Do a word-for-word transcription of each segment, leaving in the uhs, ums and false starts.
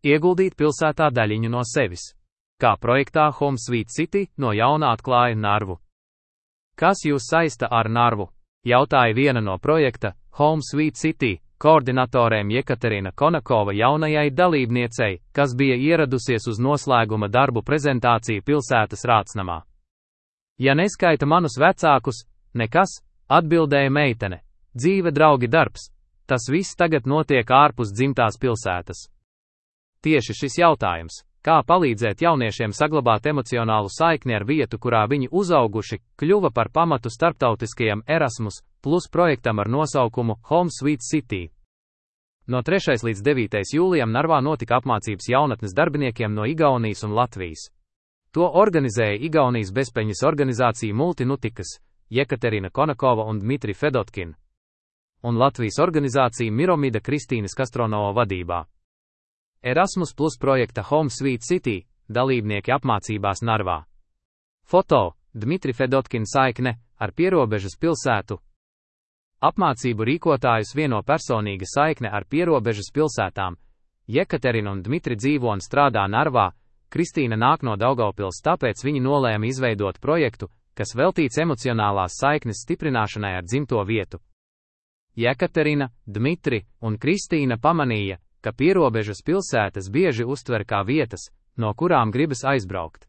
Ieguldīt pilsētā daļiņu no sevis. Kā projektā Home Sweet City no jauna atklāja Narvu. Kas jūs saista ar Narvu? Jautāja viena no projekta Home Sweet City koordinatorēm Jekaterina Konakova jaunajai dalībniecei, kas bija ieradusies uz noslēguma darbu prezentāciju pilsētas Rātsnamā. Ja neskaita manus vecākus, nekas, atbildēja meitene. Dzīve, draugi, darbs. Tas viss tagad notiek ārpus dzimtās pilsētas. Tieši šis jautājums, kā palīdzēt jauniešiem saglabāt emocionālu saikni ar vietu, kurā viņi uzauguši, kļuva par pamatu starptautiskajam Erasmus plus projektam ar nosaukumu Home Sweet City. No trešā līdz devītajam jūlijam Narvā notika apmācības jaunatnes darbiniekiem no Igaunijas un Latvijas. To organizēja Igaunijas bezpeļņas organizācija Multinutikas, Jekaterina Konakova un Dmitri Fedotkin, un Latvijas organizācija Miromida Kristīnas Kastronova vadībā. Erasmus plus projekta Home Sweet City dalībnieki apmācībās Narvā. Foto: Dmitri Fedotkin saikne ar pierobežas pilsētu. Apmācību rīkotājus vieno personīga saikne ar pierobežas pilsētām. Jekaterina un Dmitri dzīvo un strādā Narvā, Kristīna nāk no Daugavpils, tāpēc viņi nolēma izveidot projektu, kas veltīts emocionālās saiknes stiprināšanai ar dzimto vietu. Jekaterina, Dmitri un Kristīna pamanīja, ka pierobežas pilsētas bieži uztver kā vietas, no kurām gribas aizbraukt.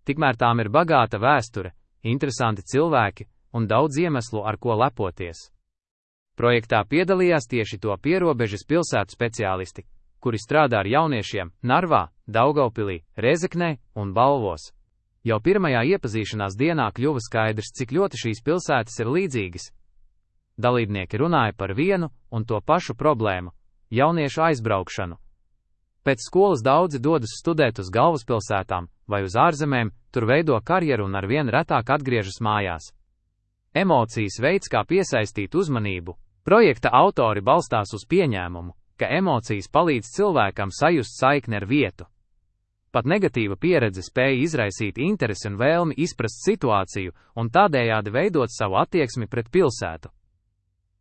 Tikmēr tām ir bagāta vēsture, interesanti cilvēki un daudz iemeslu, ar ko lepoties. Projektā piedalījās tieši to pierobežas pilsētu speciālisti, kuri strādā ar jauniešiem Narvā, Daugavpilī, Rēzeknē un Balvos. Jau pirmajā iepazīšanās dienā kļuva skaidrs, cik ļoti šīs pilsētas ir līdzīgas. Dalībnieki runāja par vienu un to pašu problēmu – jauniešu aizbraukšanu. Pēc skolas daudzi dodas studēt uz galvaspilsētām vai uz ārzemēm, tur veido karjeru un arvien retāk atgriežas mājās. Emocijas veids, kā piesaistīt uzmanību. Projekta autori balstās uz pieņēmumu, ka emocijas palīdz cilvēkam sajust saikni ar vietu. Pat negatīva pieredze spēja izraisīt interesi un vēlmi izprast situāciju un tādējādi veidot savu attieksmi pret pilsētu.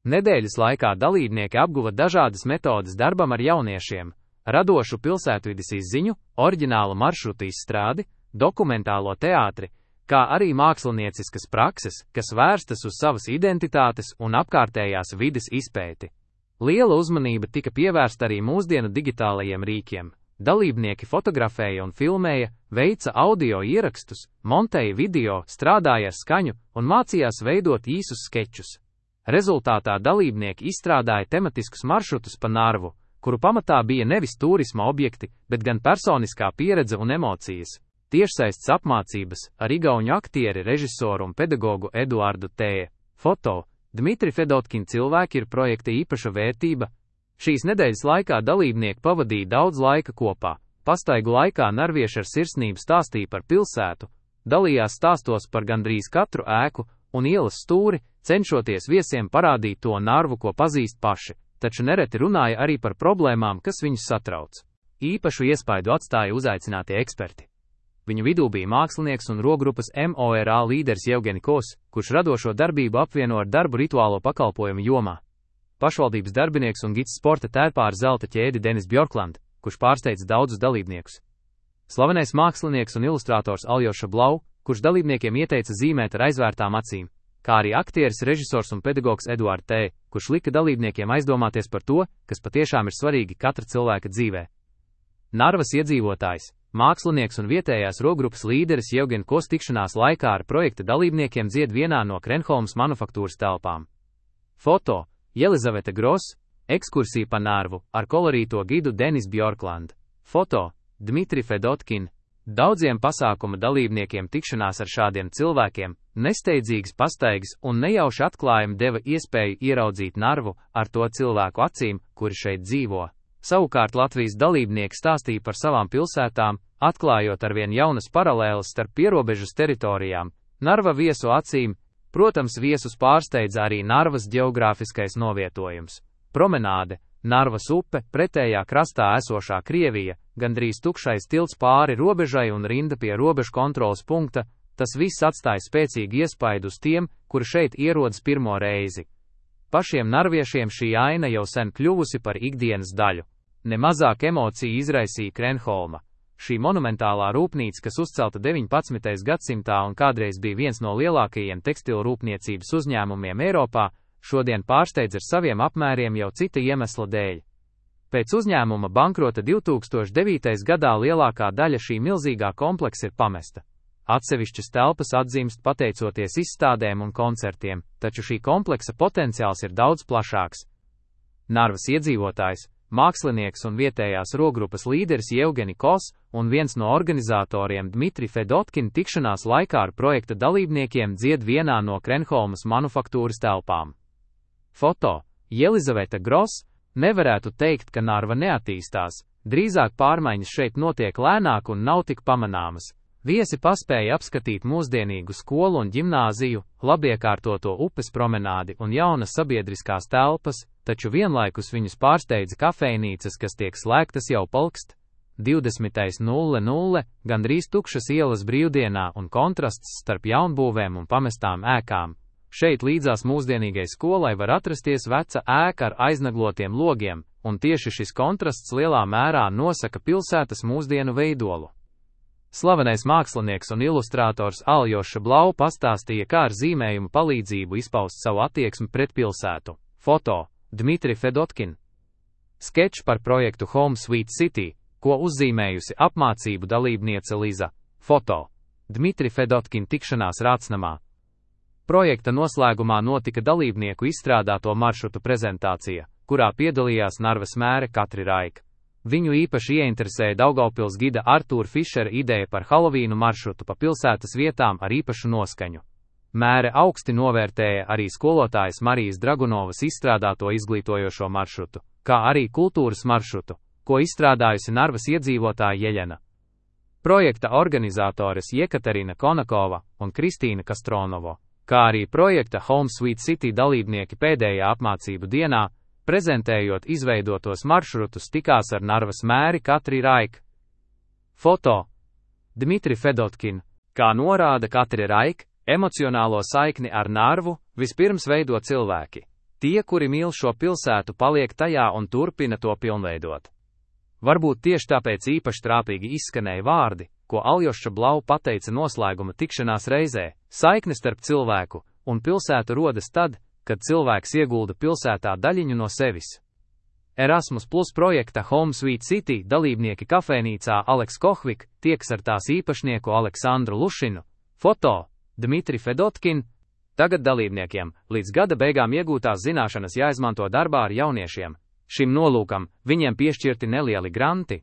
Nedēļas laikā dalībnieki apguva dažādas metodes darbam ar jauniešiem, radošu pilsētvides izziņu, oriģinālu maršrutu izstrādi, dokumentālo teātri, kā arī mākslinieciskas prakses, kas vērstas uz savas identitātes un apkārtējās vides izpēti. Liela uzmanība tika pievērsta arī mūsdienu digitālajiem rīkiem. Dalībnieki fotografēja un filmēja, veica audio ierakstus, montēja video, strādāja ar skaņu un mācījās veidot īsus skečus. Rezultātā dalībnieki izstrādāja tematiskus maršrutus pa Narvu, kuru pamatā bija nevis turisma objekti, bet gan personiskā pieredze un emocijas. Tiešsaistes apmācības ar igauņu aktieri, režisoru un pedagogu Eduardu T. Foto: Dmitri Fedotkin cilvēki ir projekta īpaša vērtība. Šīs nedēļas laikā dalībnieki pavadīja daudz laika kopā. Pastaigu laikā narvieši ar sirsnību stāstīja par pilsētu, dalījās stāstos par gandrīz katru ēku un ielas stūri, cenšoties viesiem parādīt to Narvu, ko pazīst paši, taču nereti runāja arī par problēmām, kas viņus satrauc. Īpašu iespaidu atstāja uzaicinātie eksperti. Viņu vidū bija mākslinieks un rokgrupas MORA līderis Jevgenikos, kurš radošo darbību apvieno ar darbu rituālo pakalpojumu jomā. Pašvaldības darbinieks un gids sporta tērpā ar zelta ķēdi Denis Bjorkland, kurš pārsteidz daudzus dalībniekus. Slavenais mākslinieks un ilustrators Aljoša Blau, kurš dalībniekiem ieteica zīmēt ar aizvērtām acīm, kā arī aktieris, režisors un pedagogs Eduards T., kurš lika dalībniekiem aizdomāties par to, kas patiešām ir svarīgi katra cilvēka dzīvē. Narvas iedzīvotājs, mākslinieks un vietējās rokgrupas līderis Jevgenikos tikšanās laikā ar projekta dalībniekiem dzied vienā no Krenholmas manufaktūras telpām. Foto: Jelizaveta Gross, ekskursija pa Narvu ar kolorīto gidu Denis Bjorkland. Foto: Dmitri Fedotkin. Daudziem pasākuma dalībniekiem tikšanās ar šādiem cilvēkiem, nesteidzīgas pastaigas un nejauši atklājumi deva iespēju ieraudzīt Narvu ar to cilvēku acīm, kuri šeit dzīvo. Savukārt Latvijas dalībnieki stāstīja par savām pilsētām, atklājot arvien jaunas paralēles starp pierobežas teritorijām. Narva viesu acīm, protams, viesus pārsteidza arī Narvas ģeogrāfiskais novietojums. Promenāde, Narvas upe, pretējā krastā esošā Krievija, gandrīz tukšais tilts pāri robežai un rinda pie robežu kontroles punkta, tas viss atstāja spēcīgu iespaidu uz tiem, kuri šeit ierodas pirmo reizi. Pašiem narviešiem šī aina jau sen kļuvusi par ikdienas daļu. Nemazāk emociju izraisīja Krenholma. Šī monumentālā rūpnīca, kas uzcelta deviņpadsmitajā gadsimtā un kādreiz bija viens no lielākajiem tekstilu rūpniecības uzņēmumiem Eiropā, šodien pārsteidz ar saviem apmēriem jau cita iemesla dēļ. Pēc uzņēmuma bankrota divtūkstoš devītajā gadā lielākā daļa šī milzīgā kompleksa ir pamesta. Atsevišķas telpas atzīmst pateicoties izstādēm un koncertiem, taču šī kompleksa potenciāls ir daudz plašāks. Narvas iedzīvotājs, mākslinieks un vietējās rokgrupas līderis Jevgeni Kos un viens no organizatoriem Dmitri Fedotkin tikšanās laikā ar projekta dalībniekiem dzied vienā no Krenholmas manufaktūras telpām. Foto: Jelizaveta Gross. Nevarētu teikt, ka Narva neattīstās, drīzāk pārmaiņas šeit notiek lēnāk un nav tik pamanāmas. Viesi paspēja apskatīt mūsdienīgu skolu un ģimnāziju, labiekārtoto upes promenādi un jaunas sabiedriskās telpas, taču vienlaikus viņus pārsteidza kafejnīcas, kas tiek slēgtas jau palkst. divdesmitais nulle nulle, gandrīz tukšas ielas brīvdienā un kontrasts starp jaunbūvēm un pamestām ēkām. Šeit līdzās mūsdienīgai skolai var atrasties veca ēka ar aiznaglotiem logiem, un tieši šis kontrasts lielā mērā nosaka pilsētas mūsdienu veidolu. Slavenais mākslinieks un ilustrātors Aljoša Blau pastāstīja, kā ar zīmējumu palīdzību izpaust savu attieksmi pret pilsētu. Foto: Dmitri Fedotkin. Skečs par projektu Home Sweet City, ko uzzīmējusi apmācību dalībniece Liza. Foto: Dmitri Fedotkin tikšanās Rācnamā. Projekta noslēgumā notika dalībnieku izstrādāto maršrutu prezentācija, kurā piedalījās Narvas mēre Katri Raika. Viņu īpaši ieinteresēja Daugavpils gida Artūra Fišera ideja par Halovīnu maršrutu pa pilsētas vietām ar īpašu noskaņu. Mēre augsti novērtēja arī skolotājas Marijas Dragunovas izstrādāto izglītojošo maršrutu, kā arī kultūras maršrutu, ko izstrādājusi Narvas iedzīvotāja Jeļena. Projekta organizatores Jekaterina Konakova un Kristīna Kastronovo, kā arī projekta Home Sweet City dalībnieki pēdējā apmācību dienā, prezentējot izveidotos maršrutus, tikās ar Narvas mēri Katri Raika. Foto: Dmitri Fedotkin. Kā norāda Katri Raika, emocionālo saikni ar Narvu vispirms veido cilvēki. Tie, kuri mīl šo pilsētu, paliek tajā un turpina to pilnveidot. Varbūt tieši tāpēc īpaši trāpīgi izskanēja vārdi, ko Aljoša Blau pateica noslēguma tikšanās reizē: saikne starp cilvēku un pilsētu rodas tad, kad cilvēks iegulda pilsētā daļiņu no sevis. Erasmus Plus projekta Home Sweet City dalībnieki kafejnīcā Aleks Kohvik tieks ar tās īpašnieku Aleksandru Lušinu. Foto: Dmitri Fedotkin. Tagad dalībniekiem līdz gada beigām iegūtās zināšanas jāizmanto darbā ar jauniešiem. Šim nolūkam viņiem piešķirti nelieli granti.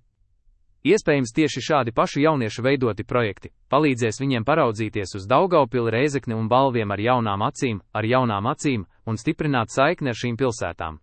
Iespējams, tieši šādi paši jauniešu veidoti projekti palīdzēs viņiem paraudzīties uz Daugavpili, Rēzekni un Balviem ar jaunām acīm, ar jaunām acīm un stiprināt saikni ar šīm pilsētām.